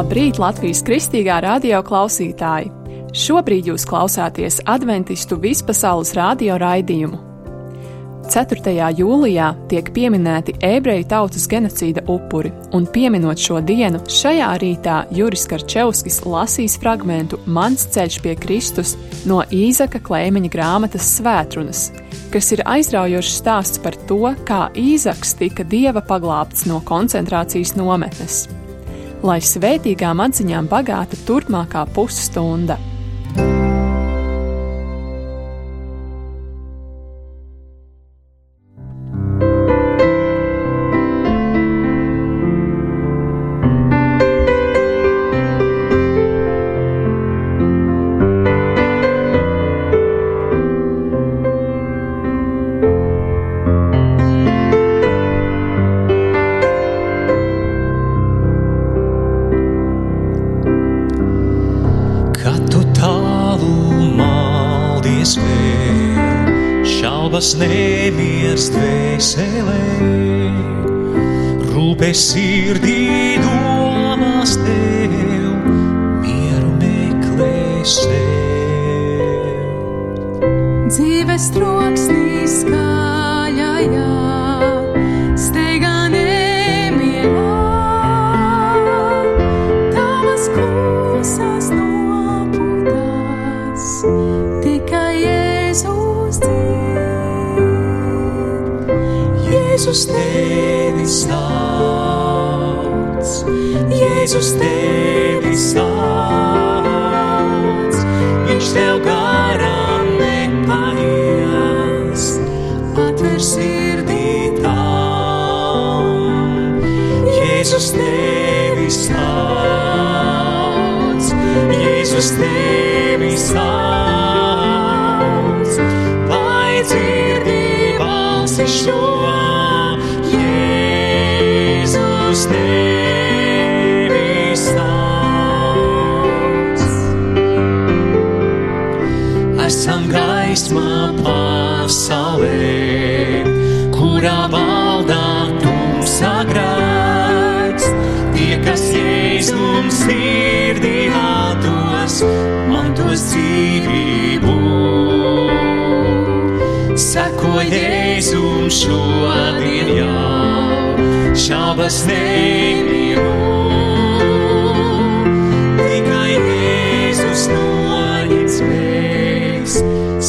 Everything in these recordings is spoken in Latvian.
Labrīt, Latvijas Kristīgā radio klausītāji! Šobrīd jūs klausāties Adventistu vispasaules radio raidījumu. 4. jūlijā tiek pieminēti ebreju tautas genocīda upuri, un pieminot šo dienu, šajā rītā Juris Karčevskis lasīs fragmentu Mans ceļš pie Kristus no Īzaka Klēmeņa grāmatas Svētrunas, kas ir aizraujošs stāsts par to, kā Īzaks tika Dieva paglābts no koncentrācijas nometnes. Lai svētīgām atziņām bagāta turpmākā pusstunda. Nemiers dvēselē, rūpes sirdī domās tev, mieru meklē sev. Dzīves troksnī skaļajā, steigā nemierā, tavas klusās nopūtās, tikai Jēzus dzīv. Jēzus tevi sauc, Jēzus tevi sauc, viņš tev garām nepaies, atver sirdī tam. Jēzus tevi sauc, Jēzus tevi sauc, vai dzirdi balsi šo. Tevi sauc. Esam gaismā pasaulē, kurā valdā tumsā grēks. Tie, kas Jēzum sirdī atdos, mantos dzīvību. Seko Jēzum šodien jau, šaubas nemīru, tikai Jēzus noņem spēks,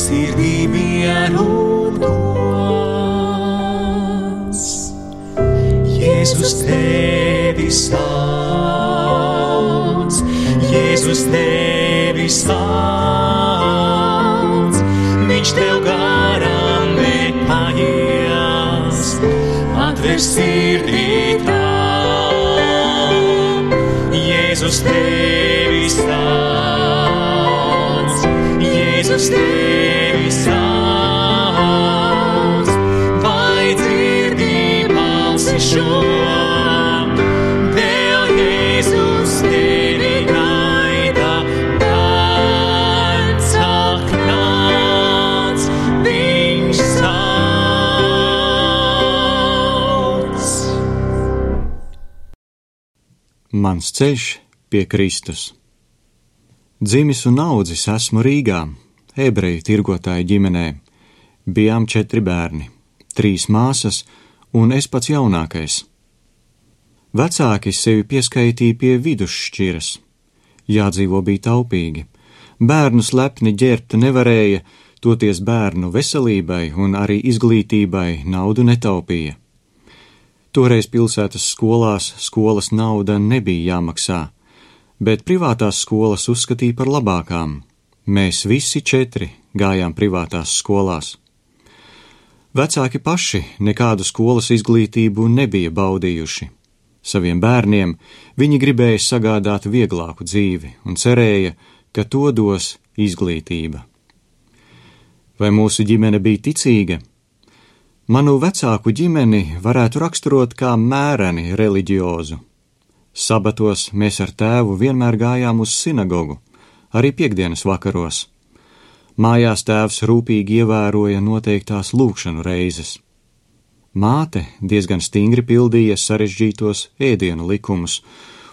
sirdī mieru dos. Jēzus tevi sauc, Jēzus tevi sauc, viņš tev garām nepaies, atver sirdī tam. Jēzus tevi sauc, Jēzus tevi sauc, vai dzirdi balsi šo, vēl Jēzus tevi gaida, nāc, ak, nāc, viņš sauc. Mans ceļš pie Kristus. Dzimis un audzis esmu Rīgā, ebreju tirgotāju ģimenē. Bijām 4 bērni, 3 māsas un es pats jaunākais. Vecāki sevi pieskaitīja pie vidusšķiras. Jādzīvo bija taupīgi. Bērnus lepni ģērbt nevarēja, toties bērnu veselībai un arī izglītībai naudu netaupīja. Toreiz pilsētas skolās skolas nauda nebija jāmaksā, bet privātās skolas uzskatīja par labākām. Mēs visi 4 gājām privātās skolās. Vecāki paši nekādu skolas izglītību nebija baudījuši. Saviem bērniem viņi gribēja sagādāt vieglāku dzīvi un cerēja, ka to dos izglītība. Vai mūsu ģimene bija ticīga? Manu vecāku ģimeni varētu raksturot kā mēreni reliģiozu. Sabatos mēs ar tēvu vienmēr gājām uz sinagogu, arī piektdienas vakaros. Mājās tēvs rūpīgi ievēroja noteiktās lūgšanu reizes. Māte diezgan stingri pildīja sarežģītos ēdienu likumus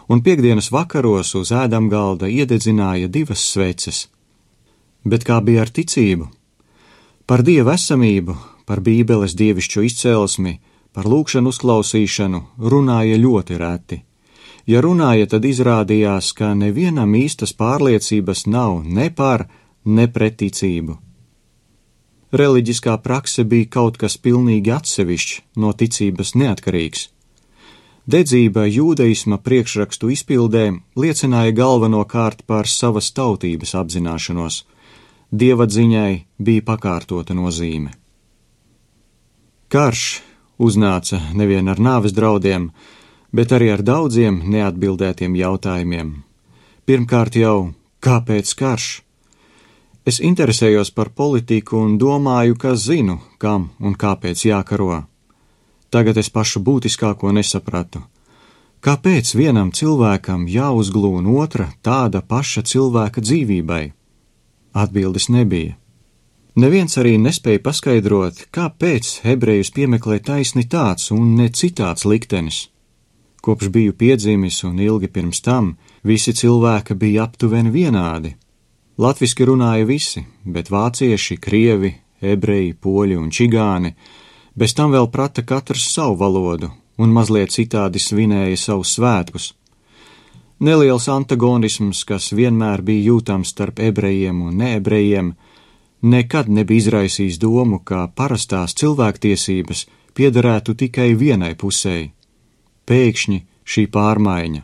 un piektdienas vakaros uz ēdamgalda iededzināja 2 sveces. Bet kā bija ar ticību? Par Dieva esamību, par Bībeles dievišķo izcelsmi, par lūgšanu uzklausīšanu runāja ļoti reti. Ja runāja, tad izrādījās, ka nevienam īstas pārliecības nav ne par, ne pret ticību. Reliģiskā prakse bija kaut kas pilnīgi atsevišķs, no ticības neatkarīgs. Dedzība jūdaisma priekšrakstu izpildē liecināja galvenokārt par savas tautības apzināšanos. Dievatziņai bija pakārtota nozīme. Karš uznāca nevien ar nāves draudiem, bet arī ar daudziem neatbildētiem jautājumiem. Pirmkārt jau, kāpēc karš? Es interesējos par politiku un domāju, ka zinu, kam un kāpēc jākaro. Tagad es pašu būtiskāko nesapratu. Kāpēc vienam cilvēkam jāuzglūna otra tāda paša cilvēka dzīvībai? Atbildes nebija. Neviens arī nespēja paskaidrot, kāpēc ebrejus piemeklē taisni tāds un ne citāds liktenis. Kopš biju piedzimis un ilgi pirms tam, visi cilvēki bija aptuveni vienādi. Latviski runāja visi, bet vācieši, krievi, ebreji, poļi un čigāni, bez tam vēl prata katrs savu valodu un mazliet citādi svinēja savus svētkus. Neliels antagonisms, kas vienmēr bija jūtams starp ebrejiem un neebrejiem, nekad nebija izraisījis domu, ka parastās cilvēktiesības piederētu tikai vienai pusei. Pēkšņi šī pārmaiņa.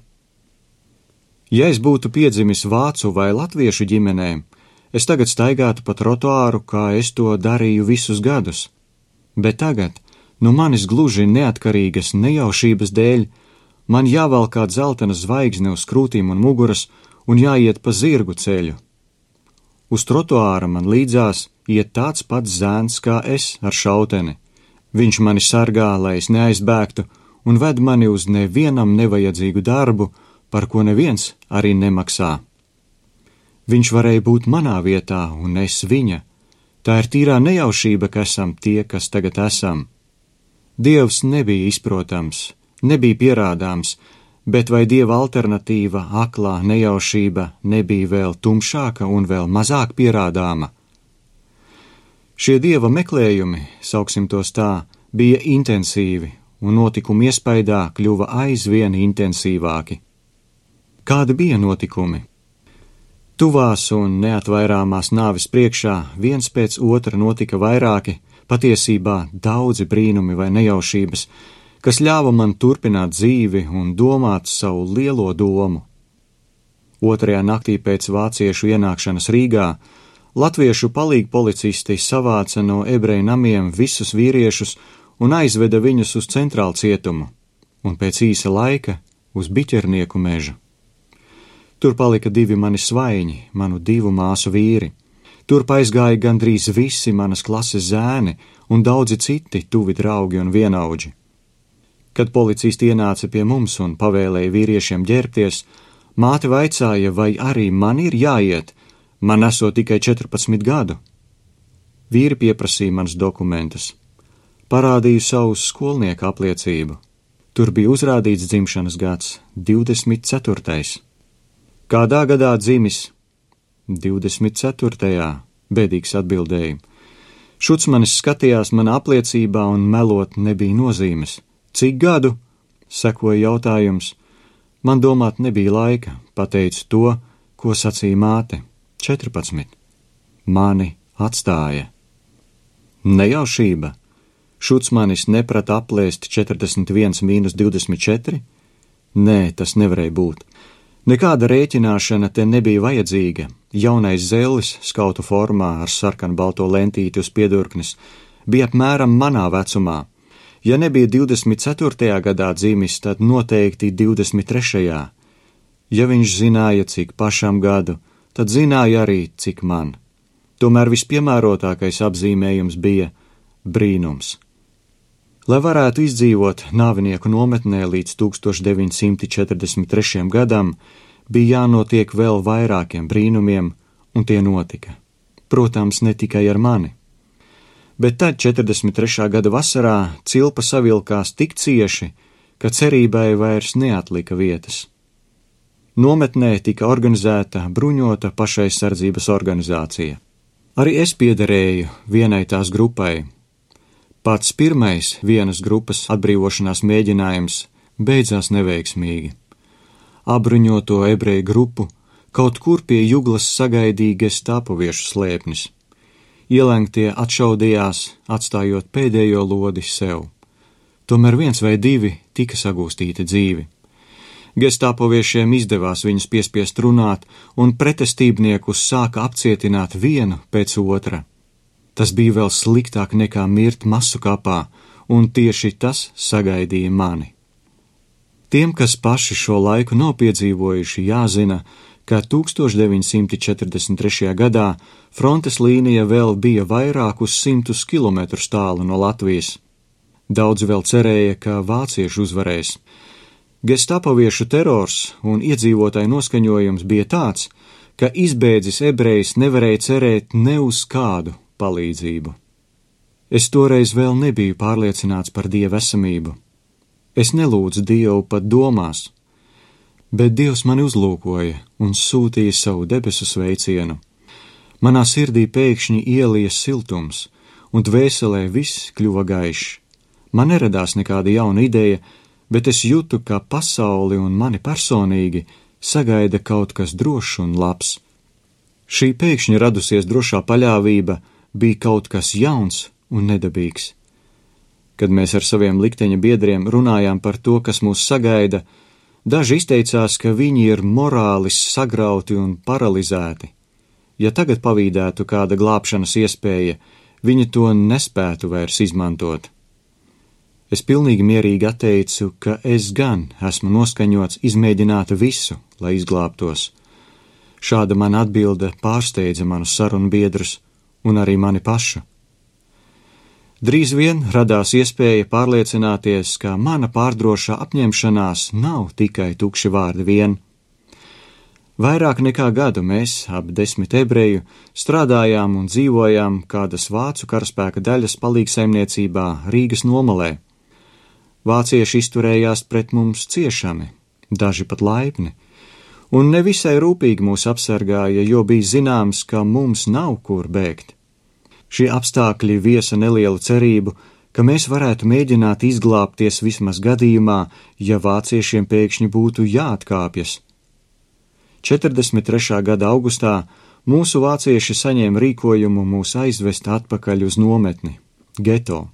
Ja es būtu piedzimis vācu vai latviešu ģimenē, es tagad staigātu pa trotuāru, kā es to darīju visus gadus. Bet tagad, no manis gluži neatkarīgas nejaušības dēļ, man jāvalkā dzeltena zvaigzne uz krūtīm un muguras un jāiet pa zirgu ceļu. Uz trotuāra man līdzās iet tāds pats zēns kā es ar šauteni. Viņš mani sargā, lai es neaizbēgtu, un ved mani uz nevienam nevajadzīgu darbu, par ko neviens arī nemaksā. Viņš varēja būt manā vietā, un es viņa. Tā ir tīrā nejaušība, ka esam tie, kas tagad esam. Dievs nebija izprotams, nebija pierādāms, bet vai Dieva alternatīva, aklā nejaušība, nebija vēl tumšāka un vēl mazāk pierādāma? Šie Dieva meklējumi, sauksim tos tā, bija intensīvi, un notikumu iespaidā kļuva aizvien intensīvāki. Kādi bija notikumi? Tuvās un neatvairāmās nāves priekšā viens pēc otra notika vairāki, patiesībā daudzi brīnumi vai nejaušības, kas ļāva man turpināt dzīvi un domāt savu lielo domu. Otrajā naktī pēc vāciešu ienākšanas Rīgā latviešu palīgpolicisti savāca no ebreju namiem visus vīriešus un aizveda viņus uz centrālu cietumu, un pēc īsa laika uz Biķernieku mežu. Tur palika 2 mani svaiņi, manu 2 māsu vīri. Tur aizgāja gandrīz visi manas klases zēni un daudzi citi tuvi draugi un vienaudži. Kad policisti ienāca pie mums un pavēlēja vīriešiem ģērbties, māte vaicāja, vai arī man ir jāiet, man esot tikai 14 gadu. Vīri pieprasīja manas dokumentus. Parādīju savu skolnieku apliecību. Tur bija uzrādīts dzimšanas gads, 24. Kādā gadā dzimis? 24. Bēdīgs atbildēja. Šucmanis skatījās manā apliecībā un melot nebija nozīmes. Cik gadu? Sekoja jautājums. Man domāt nebija laika, pateicu to, ko sacīja māte. 14. Mani atstāja. Nejaušība. Šucmanis neprata aplēst 41 mīnus 24? Nē, tas nevarēja būt. Nekāda rēķināšana te nebija vajadzīga. Jaunais zellis, skautu formā ar sarkanu balto lentīti uz piedurknes, bija apmēram manā vecumā. Ja nebija 24. gadā dzimis, tad noteikti 23. Ja viņš zināja, cik pašam gadu, tad zināja arī, cik man. Tomēr vispiemērotākais apzīmējums bija brīnums. Lai varētu izdzīvot nāvinieku nometnē līdz 1943. gadam, bija jānotiek vēl vairākiem brīnumiem, un tie notika. Protams, ne tikai ar mani. Bet tad 43. gada vasarā cilpa savilkās tik cieši, ka cerībai vairs neatlika vietas. Nometnē tika organizēta bruņota pašaizsardzības organizācija. Arī es piederēju vienai tās grupai. Pats pirmais vienas grupas atbrīvošanās mēģinājums beidzās neveiksmīgi. Apbruņoto ebreju grupu kaut kur pie juglas sagaidīja gestapoviešu slēpnis. Ielengtie atšaudījās, atstājot pēdējo lodi sev. Tomēr 1 vai 2 tika sagūstīti dzīvi. Gestapoviešiem izdevās viņus piespiest runāt, un pretestībniekus sāka apcietināt vienu pēc otra. Tas bija vēl sliktāk nekā mirt masu kapā, un tieši tas sagaidīja mani. Tiem, kas paši šo laiku nav piedzīvojuši, jāzina, ka 1943. gadā frontes līnija vēl bija vairākus 100 kilometrus tālu no Latvijas. Daudzi vēl cerēja, ka vācieši uzvarēs. Gestapoviešu terors un iedzīvotāju noskaņojums bija tāds, ka izbēdzis ebrejs nevarēja cerēt ne uz kādu palīdzību. Es toreiz vēl nebiju pārliecināts par Dieva esamību. Es nelūdzu Dievu pat domās, bet Dievs mani uzlūkoja un sūtīja savu debesu sveicienu. Manā sirdī pēkšņi ielija siltums, un dvēselē viss kļuva gaišs. Man neradās nekāda jauna ideja, bet es jūtu, ka pasauli un mani personīgi sagaida kaut kas drošs un labs. Šī pēkšņi radusies drošā paļāvība bija kaut kas jauns un nedabīgs. Kad mēs ar saviem likteņa biedriem runājām par to, kas mūs sagaida, daži izteicās, ka viņi ir morāli sagrauti un paralizēti. Ja tagad pavīdētu kāda glābšanas iespēja, viņi to nespētu vairs izmantot. Es pilnīgi mierīgi atteicu, ka es gan esmu noskaņots izmēģināt visu, lai izglābtos. Šāda mana atbilde pārsteidza manus sarunbiedrus un arī mani pašu. Drīz vien radās iespēja pārliecināties, ka mana pārdrošā apņemšanās nav tikai tukši vārdi vien. Vairāk nekā gadu mēs, ap 10 ebreju, strādājām un dzīvojām kādas vācu karaspēka daļas palīgsaimniecībā Rīgas nomalē. Vācieši izturējās pret mums ciešami, daži pat laipni, un nevisai rūpīgi mūs apsargāja, jo bija zināms, ka mums nav kur bēgt. Šie apstākļi viesa nelielu cerību, ka mēs varētu mēģināt izglābties vismaz gadījumā, ja vāciešiem pēkšņi būtu jāatkāpjas. 43. gada augustā mūsu vācieši saņēma rīkojumu mūs aizvest atpakaļ uz nometni, geto.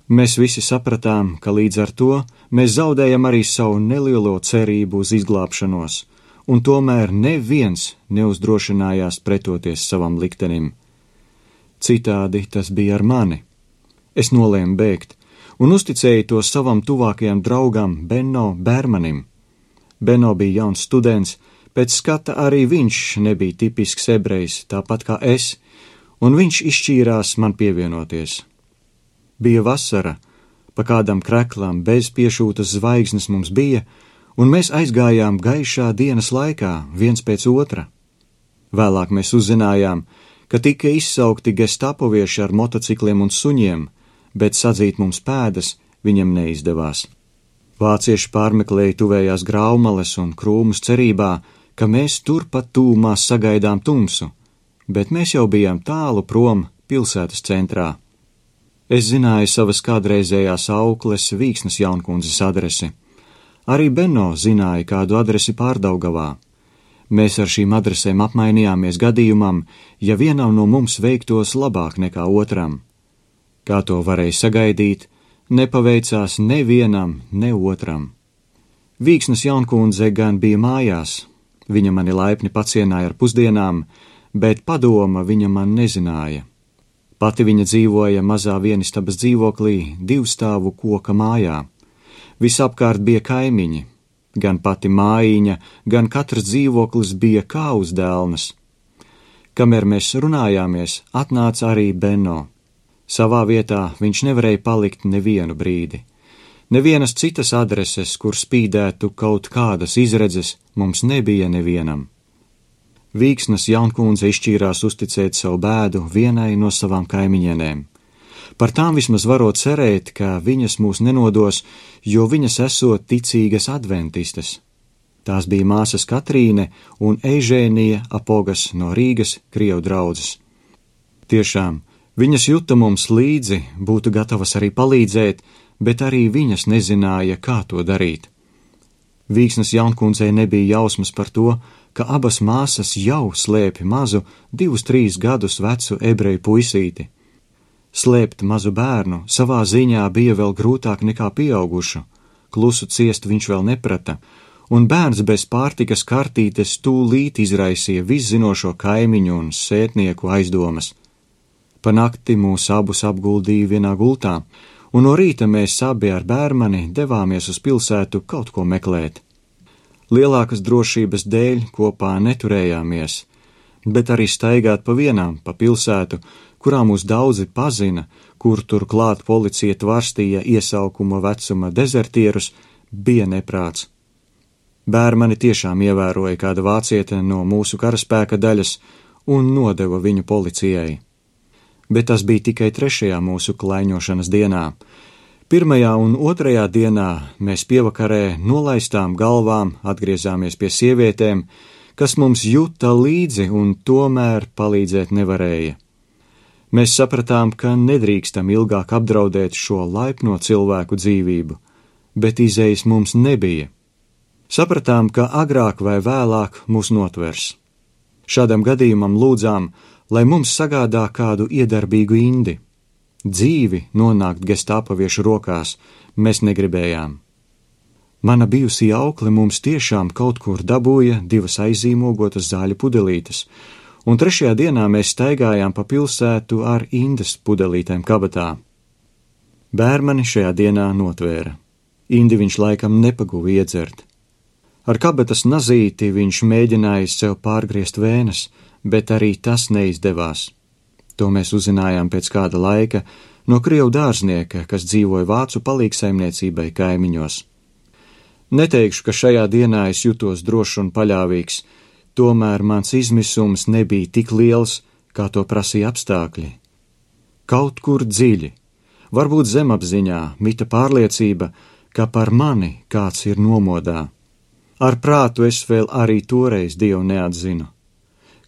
Mēs visi sapratām, ka līdz ar to mēs zaudējam arī savu nelielo cerību uz izglābšanos, un tomēr neviens neuzdrošinājās pretoties savam liktenim. Citādi tas bija ar mani. Es nolēmu bēgt un uzticēju to savam tuvākajam draugam Benno Bērmanim. Benno bija jauns students, pēc skata arī viņš nebija tipisks ebrejs, tāpat kā es, un viņš izšķīrās man pievienoties. Bija vasara, pa kādam kreklam bez piešūtas zvaigznes mums bija, un mēs aizgājām gaišā dienas laikā, viens pēc otra. Vēlāk mēs uzzinājām, ka tika izsaukti gestapovieši ar motocikliem un suņiem, bet sadzīt mums pēdas viņam neizdevās. Vācieši pārmeklēja tuvējās graumales un krūmus cerībā, ka mēs turpat tūmā sagaidām tumsu, bet mēs jau bijām tālu prom pilsētas centrā. Es zināju savas kādreizējās aukles Vīksnes Jaunkundzes adresi. Arī Benno zināja kādu adresi Pārdaugavā. Mēs ar šīm adresēm apmainījāmies gadījumam, ja vienam no mums veiktos labāk nekā otram. Kā to varēja sagaidīt, nepaveicās nevienam, ne otram. Vīksnes Jaunkundze gan bija mājās. Viņa mani laipni pacienāja ar pusdienām, bet padoma viņa man nezināja. Pati viņa dzīvoja mazā vienistabas dzīvoklī 2-stāvu koka mājā. Visapkārt bija kaimiņi, gan pati mājiņa, gan katrs dzīvoklis bija kā uz dēlnas. Kamēr mēs runājāmies, atnāca arī Benno. Savā vietā viņš nevarēja palikt nevienu brīdi. Nevienas citas adreses, kur spīdētu kaut kādas izredzes, mums nebija nevienam. Vīksnes Jaunkundze izšķīrās uzticēt savu bēdu vienai no savām kaimiņienēm. Par tām vismaz varot cerēt, ka viņas mūs nenodos, jo viņas esot ticīgas adventistes. Tās bija māsas Katrīne un Eižēnija Apogas no Rīgas Krievu draudzes. Tiešām, viņas juta mums līdzi, būtu gatavas arī palīdzēt, bet arī viņas nezināja, kā to darīt. Vīksnes jaunkundzei nebija jausmas par to, ka abas māsas jau slēpj mazu 2-3 gadus vecu ebreju puisīti. Slēpt mazu bērnu savā ziņā bija vēl grūtāk nekā pieaugušu, klusu ciest viņš vēl neprata, un bērns bez pārtikas kartītes tūlīt izraisīja viszinošo kaimiņu un sētnieku aizdomas. Pa nakti mūs abus apguldīja vienā gultā, un no rīta mēs abi ar bērmani devāmies uz pilsētu kaut ko meklēt. Lielākas drošības dēļ kopā neturējāmies, bet arī staigāt pa vienām pa pilsētu, kurā mūs daudzi pazina, kur turklāt policija tvarstīja iesaukuma vecuma dezertierus, bija neprāts. Bērmani tiešām ievēroja kāda vāciete no mūsu karaspēka daļas un nodeva viņu policijai. Bet tas bija tikai 3. mūsu klaiņošanas dienā. 1. un 2. dienā mēs pievakarē nolaistām galvām atgriezāmies pie sievietēm, kas mums juta līdzi un tomēr palīdzēt nevarēja. Mēs sapratām, ka nedrīkstam ilgāk apdraudēt šo laipno cilvēku dzīvību, bet izejas mums nebija. Sapratām, ka agrāk vai vēlāk mūs notvers. Šādam gadījumam lūdzām, lai mums sagādā kādu iedarbīgu indi. Dzīvi nonākt gestapaviešu rokās mēs negribējām. Mana bijusī aukle mums tiešām kaut kur dabūja 2 aizīmogotas zāļu pudelītes, un 3. dienā mēs staigājām pa pilsētu ar indes pudelītēm kabatā. Bērmani šajā dienā notvēra. Indi viņš laikam nepaguva iedzert. Ar kabatas nazīti viņš mēģināja sev pārgriezt vēnes, bet arī tas neizdevās. To mēs uzzinājām pēc kāda laika no Krievu dārznieka, kas dzīvoja vācu palīgsaimniecībai kaimiņos. Neteikšu, ka šajā dienā es jutos drošs un paļāvīgs, tomēr mans izmisums nebija tik liels, kā to prasīja apstākļi. Kaut kur dziļi, varbūt zemapziņā, mita pārliecība, ka par mani kāds ir nomodā. Ar prātu es vēl arī toreiz Dievu neatzinu.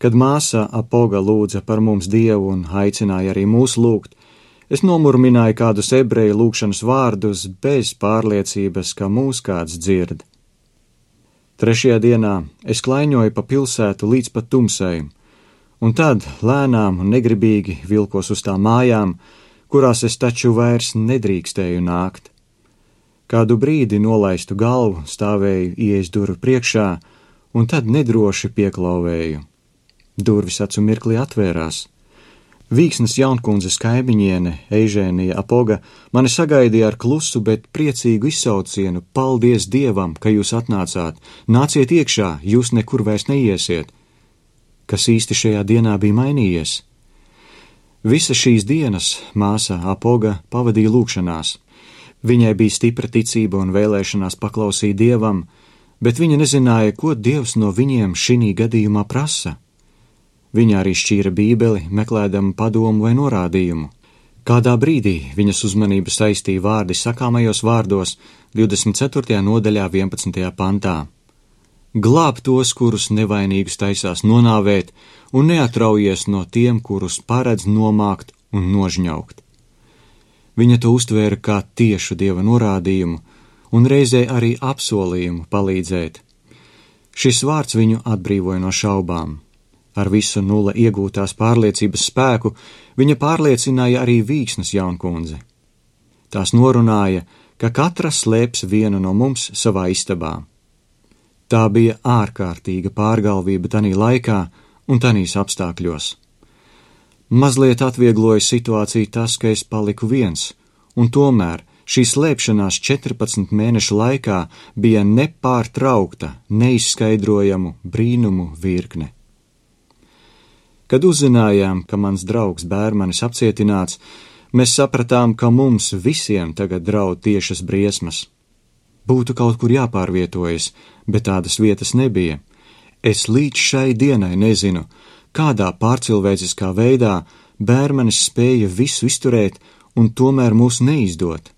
Kad māsa Apoga lūdza par mums Dievu un aicināja arī mūs lūgt, es nomurmināju kādus ebreju lūgšanas vārdus bez pārliecības, ka mūs kāds dzird. 3. dienā es klaiņoju pa pilsētu līdz pat tumsai, un tad lēnām un negribīgi vilkos uz tām mājām, kurās es taču vairs nedrīkstēju nākt. Kādu brīdi nolaistu galvu, stāvēju ieejas durvju priekšā, un tad nedroši pieklauvēju. Durvis acu mirklī atvērās. Vīksnes jaunkundzes kaimiņiene, Eižēnija Apoga, mani sagaidīja ar klusu, bet priecīgu izsaucienu: paldies Dievam, ka jūs atnācāt, nāciet iekšā, jūs nekur vairs neiesiet. Kas īsti šajā dienā bija mainījies? Visas šīs dienas māsa Apoga pavadīja lūgšanās. Viņai bija stipra ticība un vēlēšanās paklausīt Dievam, bet viņa nezināja, ko Dievs no viņiem šī gadījumā prasa. Viņa arī šķīra bībeli, meklēdama padomu vai norādījumu. Kādā brīdī viņas uzmanību saistīja vārdi sakāmajos vārdos 24. nodaļā 11. pantā. Glāb tos, kurus nevainīgus taisās nonāvēt, un neatraujies no tiem, kurus paredz nomākt un nožņaukt. Viņa to uztvēra kā tiešu Dieva norādījumu un reizē arī apsolījumu palīdzēt. Šis vārds viņu atbrīvoja no šaubām. Ar visu nulle iegūtās pārliecības spēku viņa pārliecināja arī Vīksnes jaunkundzi. Tās norunāja, ka katra slēps vienu no mums savā istabā. Tā bija ārkārtīga pārgalvība tanī laikā un tanīs apstākļos. Mazliet atviegloja situāciju tas, ka es paliku viens, un tomēr šī slēpšanās 14 mēnešu laikā bija nepārtraukta, neizskaidrojamu brīnumu virkne. Kad uzzinājām, ka mans draugs Bērmanis apcietināts, mēs sapratām, ka mums visiem tagad draud tiešas briesmas. Būtu kaut kur jāpārvietojas, bet tādas vietas nebija. Es līdz šai dienai nezinu, kādā pārcilvēciskā veidā Bērmanis spēja visu izturēt un tomēr mūs neizdot.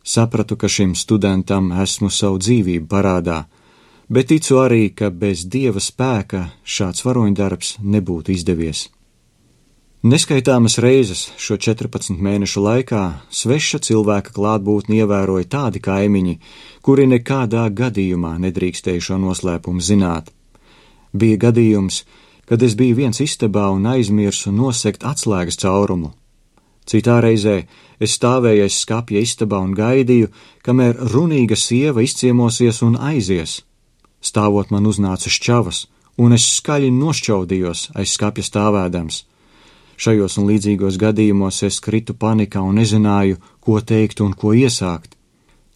Sapratu, ka šim studentam esmu savu dzīvību parādā. bet ticu arī, ka bez Dieva spēka šāds varoņdarbs nebūtu izdevies. Neskaitāmas reizes šo 14 mēnešu laikā sveša cilvēka klātbūtni ievēroja tādi kaimiņi, kuri nekādā gadījumā nedrīkstēja šo noslēpumu zināt. Bija gadījums, kad es biju viens istabā un aizmirsu nosegt atslēgas caurumu. Citā reizē es stāvēju aiz skapja istabā un gaidīju, kamēr runīga sieva izciemosies un aizies. Stāvot man uznāca šķavas, un es skaļi nošķaudījos aiz skapja stāvēdams. Šajos un līdzīgos gadījumos es kritu panikā un nezināju, ko teikt un ko iesākt.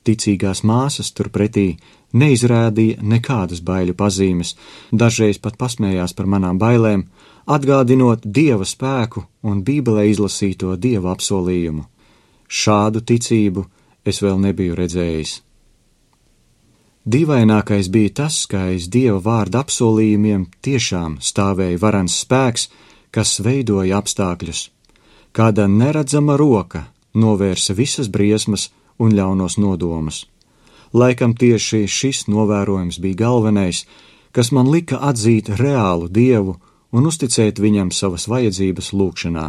Ticīgās māsas turpretī neizrādīja nekādas baiļu pazīmes, dažreiz pat pasmējās par manām bailēm, atgādinot Dieva spēku un Bībelē izlasīto Dieva apsolījumu. Šādu ticību es vēl nebiju redzējis. Dīvainākais bija tas, ka aiz Dieva vārda apsolījumiem tiešām stāvēja varens spēks, kas veidoja apstākļus. Kāda neredzama roka novērsa visas briesmas un ļaunos nodomus. Laikam tieši šis novērojums bija galvenais, kas man lika atzīt reālu Dievu un uzticēt viņam savas vajadzības lūgšanā.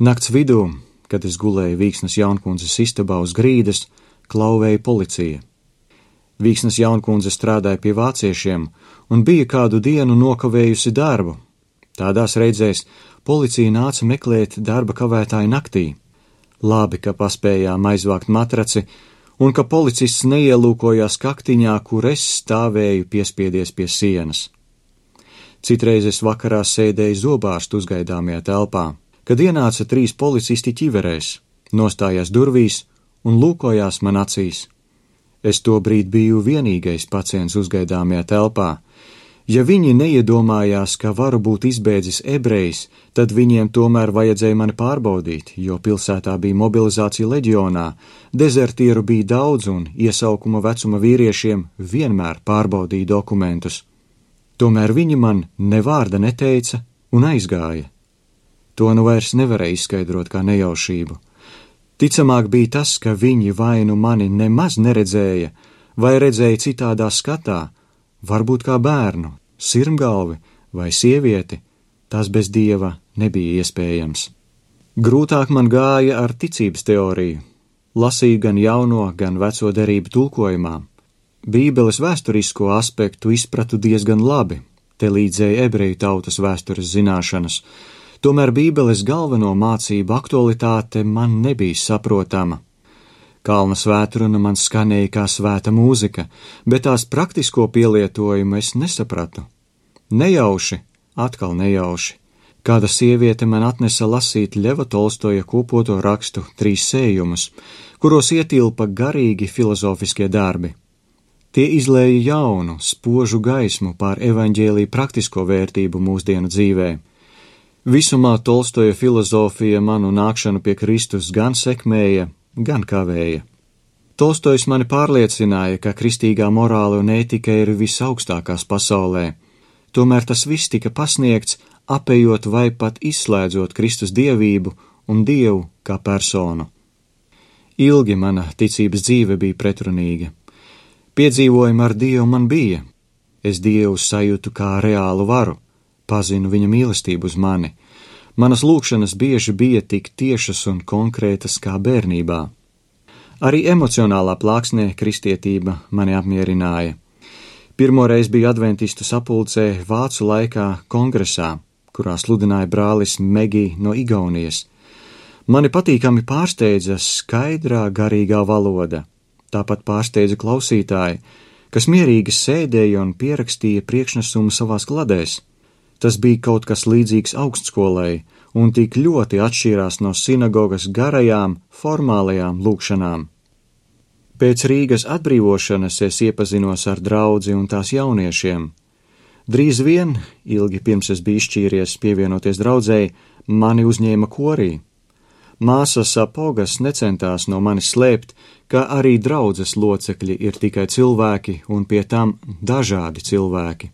Nakts vidū, kad es gulēju Vīksnas Jaunkundzes istabā uz grīdas, klauvēja policija. Vīksnas Jaunkundze strādāja pie vāciešiem un bija kādu dienu nokavējusi darbu. Tādās reizēs policija nāca meklēt darba kavētāju naktī. Labi, ka paspējām aizvākt matraci un ka policists neielūkojās kaktiņā, kur es stāvēju piespiedies pie sienas. Citreiz es vakarā sēdēju zobārstu uzgaidāmajā telpā, kad ienāca 3 policisti ķiverēs, nostājās durvīs un lūkojās man acīs. Es tobrīd biju vienīgais pacients uzgaidāmajā telpā. Ja viņi neiedomājās, ka varu būt izbēdzis ebrejs, tad viņiem tomēr vajadzēja mani pārbaudīt, jo pilsētā bija mobilizācija leģionā, dezertieru bija daudz un iesaukuma vecuma vīriešiem vienmēr pārbaudīja dokumentus. Tomēr viņi man ne vārda neteica un aizgāja. To nu vairs nevarēja izskaidrot kā nejaušību. Ticamāk bija tas, ka viņi vai nu mani nemaz neredzēja, vai redzēja citādā skatā, varbūt kā bērnu, sirmgalvi vai sievieti, tas bez Dieva nebija iespējams. Grūtāk man gāja ar ticības teoriju. Lasīju gan jauno, gan veco derību tulkojumā. Bībeles vēsturisko aspektu izpratu diezgan labi, te līdzēja ebreju tautas vēstures zināšanas. Tomēr Bībeles galveno mācību aktualitāte man nebija saprotama. Kalna svētruna man skanēja kā svēta mūzika, bet tās praktisko pielietojumu es nesapratu. Nejauši, atkal nejauši. Kāda sieviete man atnesa lasīt Ļeva Tolstoja kopoto rakstu 3 sējumus, kuros ietilpa garīgi filozofiskie darbi. Tie izlēja jaunu, spožu gaismu pār evaņģēlija praktisko vērtību mūsdienu dzīvē. Visumā Tolstoja filozofija manu nākšanu pie Kristus gan sekmēja, gan kavēja. Tolstojs mani pārliecināja, ka kristīgā morāla un ētika ir visaugstākās pasaulē. Tomēr tas viss tika pasniegts, apējot vai pat izslēdzot Kristus dievību un Dievu kā personu. Ilgi mana ticības dzīve bija pretrunīga. Piedzīvojumi ar Dievu man bija. Es Dievu sajūtu kā reālu varu, pazinu viņa mīlestību uz mani. Manas lūgšanas bieži bija tik tiešas un konkrētas kā bērnībā. Arī emocionālā plāksnē kristietība mani apmierināja. Pirmoreiz biju adventistu sapulcē vācu laikā kongresā, kurā sludināja brālis Megi no Igaunijas. Mani patīkami pārsteidza skaidrā garīgā valoda. Tāpat pārsteidza klausītāji, kas mierīgi sēdēja un pierakstīja priekšnesumu savās kladēs. Tas bija kaut kas līdzīgs augstskolai un tik ļoti atšķīrās no sinagogas garajām, formālajām lūgšanām. Pēc Rīgas atbrīvošanas es iepazinos ar draudzi un tās jauniešiem. Drīz vien, ilgi pirms es biju izšķīries pievienoties draudzēji, mani uzņēma korī. Māsas apogas necentās no manis slēpt, ka arī draudzes locekļi ir tikai cilvēki un pie tam dažādi cilvēki.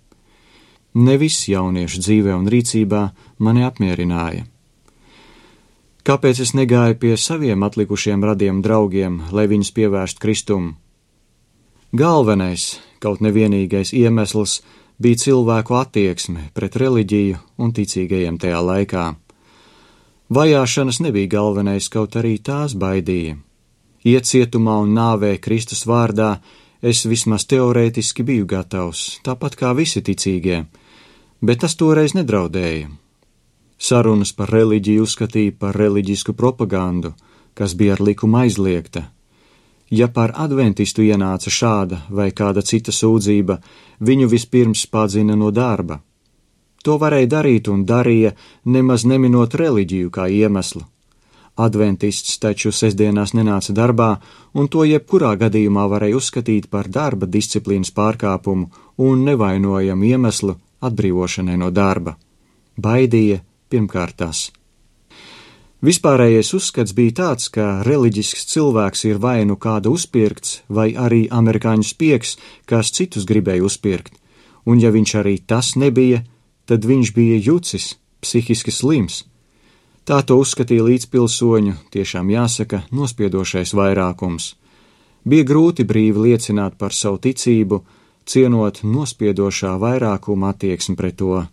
Ne viss jauniešu dzīvē un rīcībā mani apmierināja. Kāpēc es negāju pie saviem atlikušiem radiem draugiem, lai viņus pievērstu Kristumu? Galvenais, kaut nevienīgais iemesls bija cilvēku attieksme pret reliģiju un ticīgajiem tajā laikā. Vajāšanas nebija galvenais, kaut arī tās baidīja. Iet cietumā un nāvē Kristus vārdā es vismaz teorētiski biju gatavs, tāpat kā visi ticīgie, bet tas toreiz nedraudēja. Sarunas par reliģiju uzskatīja par reliģisku propagandu, kas bija ar likumu aizliegta. Ja par adventistu ienāca šāda vai kāda cita sūdzība, viņu vispirms padzina no darba. To varēja darīt un darīja, nemaz neminot reliģiju kā iemeslu. Adventists taču sestdienās nenāca darbā, un to jebkurā gadījumā varēja uzskatīt par darba disciplīnas pārkāpumu un nevainojamu iemeslu atbrīvošanai no darba. Baidīja pirmkārt tas. Vispārējais uzskats bija tāds, ka reliģisks cilvēks ir vai nu kāda uzpirkts, vai arī amerikāņu spiegs, kas citus gribēja uzpirkt, un ja viņš arī tas nebija, tad viņš bija jucis, psihiski slims. Tā to uzskatīja līdzpilsoņu, tiešām jāsaka, nospiedošais vairākums. Bija grūti brīvi liecināt par savu ticību, cienot nospiedošā vairākuma attieksmi pret to.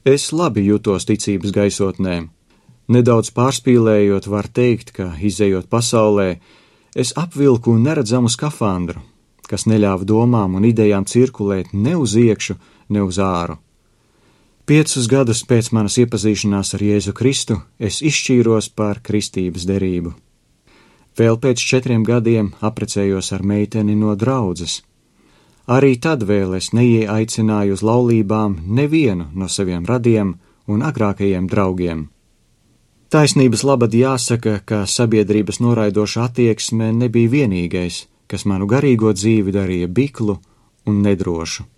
Es labi jutos ticības gaisotnē. Nedaudz pārspīlējot, var teikt, ka, izejot pasaulē, es apvilku neredzamu skafandru, kas neļāva domām un idejām cirkulēt ne uz iekšu, ne uz āru. 5 gadus pēc manas iepazīšanās ar Jēzu Kristu es izšķīros par kristības derību. Vēl pēc 4 gadiem apprecējos ar meiteni no draudzes. Arī tad vēl es neieaicināju uz laulībām nevienu no saviem radiem un agrākajiem draugiem. Taisnības labad jāsaka, ka sabiedrības noraidoša attieksme nebija vienīgais, kas manu garīgo dzīvi darīja biklu un nedrošu.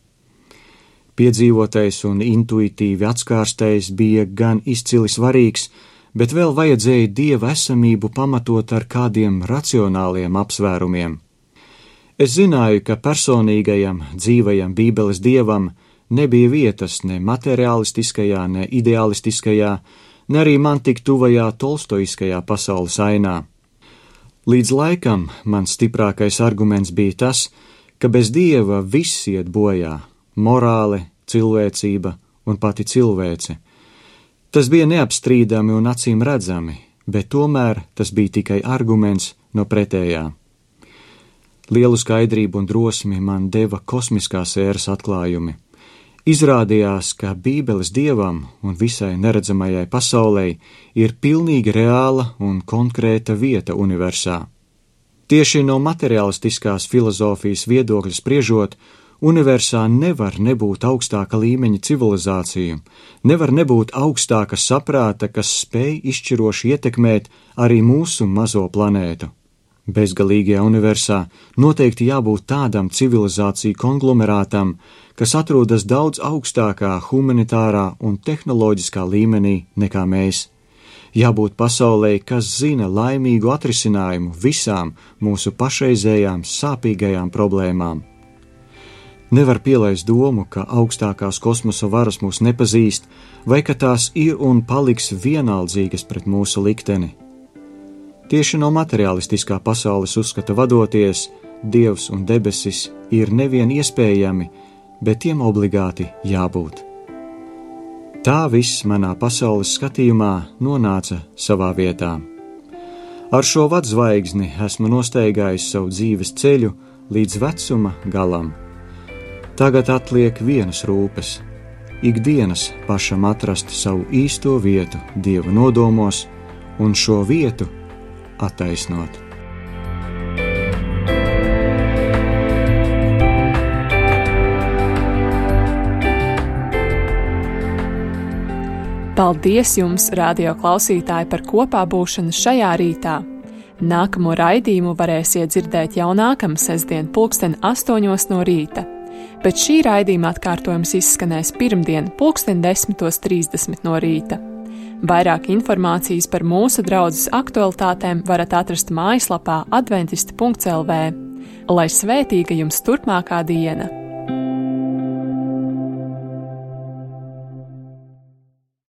Piedzīvotais un intuitīvi atskārstais bija gan izcili svarīgs, bet vēl vajadzēja Dieva esamību pamatot ar kādiem racionāliem apsvērumiem. Es zināju, ka personīgajam, dzīvajam Bībeles Dievam nebija vietas ne materiālistiskajā, ne ideālistiskajā, ne arī man tik tuvajā tolstoiskajā pasaules ainā. Līdz laikam mans stiprākais arguments bija tas, ka bez Dieva viss iet bojā – morāle, cilvēcība un pati cilvēce. Tas bija neapstrīdami un acīm redzami, bet tomēr tas bija tikai arguments no pretējā. Lielu skaidrību un drosmi man deva kosmiskās ēras atklājumi. Izrādījās, ka Bībeles Dievam un visai neredzamajai pasaulei ir pilnīgi reāla un konkrēta vieta universā. Tieši no materiālistiskās filozofijas viedokļa spriežot, universā nevar nebūt augstāka līmeņa civilizāciju, nevar nebūt augstāka saprāta, kas spēj izšķiroši ietekmēt arī mūsu mazo planētu. Bezgalīgajā universā noteikti jābūt tādam civilizāciju konglomerātam, kas atrodas daudz augstākā humanitārā un tehnoloģiskā līmenī nekā mēs. Jābūt pasaulē, kas zina laimīgu atrisinājumu visām mūsu pašreizējām sāpīgajām problēmām. Nevar pielaist domu, ka augstākās kosmosa varas mūs nepazīst, vai ka tās ir un paliks vienaldzīgas pret mūsu likteni. Tieši no materiālistiskā pasaules uzskata vadoties, Dievs un debesis ir nevien iespējami, bet tiem obligāti jābūt. Tā viss manā pasaules skatījumā nonāca savā vietā. Ar šo vadzvaigzni esmu nostaigājis savu dzīves ceļu līdz vecuma galam. Tagad atliek vienas rūpes – ikdienas pašam atrast savu īsto vietu Dieva nodomos un šo vietu attaisnot. Paldies jums, radio klausītāji, par kopā būšanu šajā rītā. Nākamo raidījumu varēsiet dzirdēt jau nākamā sestdien 8:00 no rīta, bet šī raidījuma atkārtojums izskanēs pirmdien 10:30 no rīta. Vairāk informācijas par mūsu draudzes aktualitātēm varat atrast mājaslapā adventisti.lv. Lai svētīga jums turpmākā diena!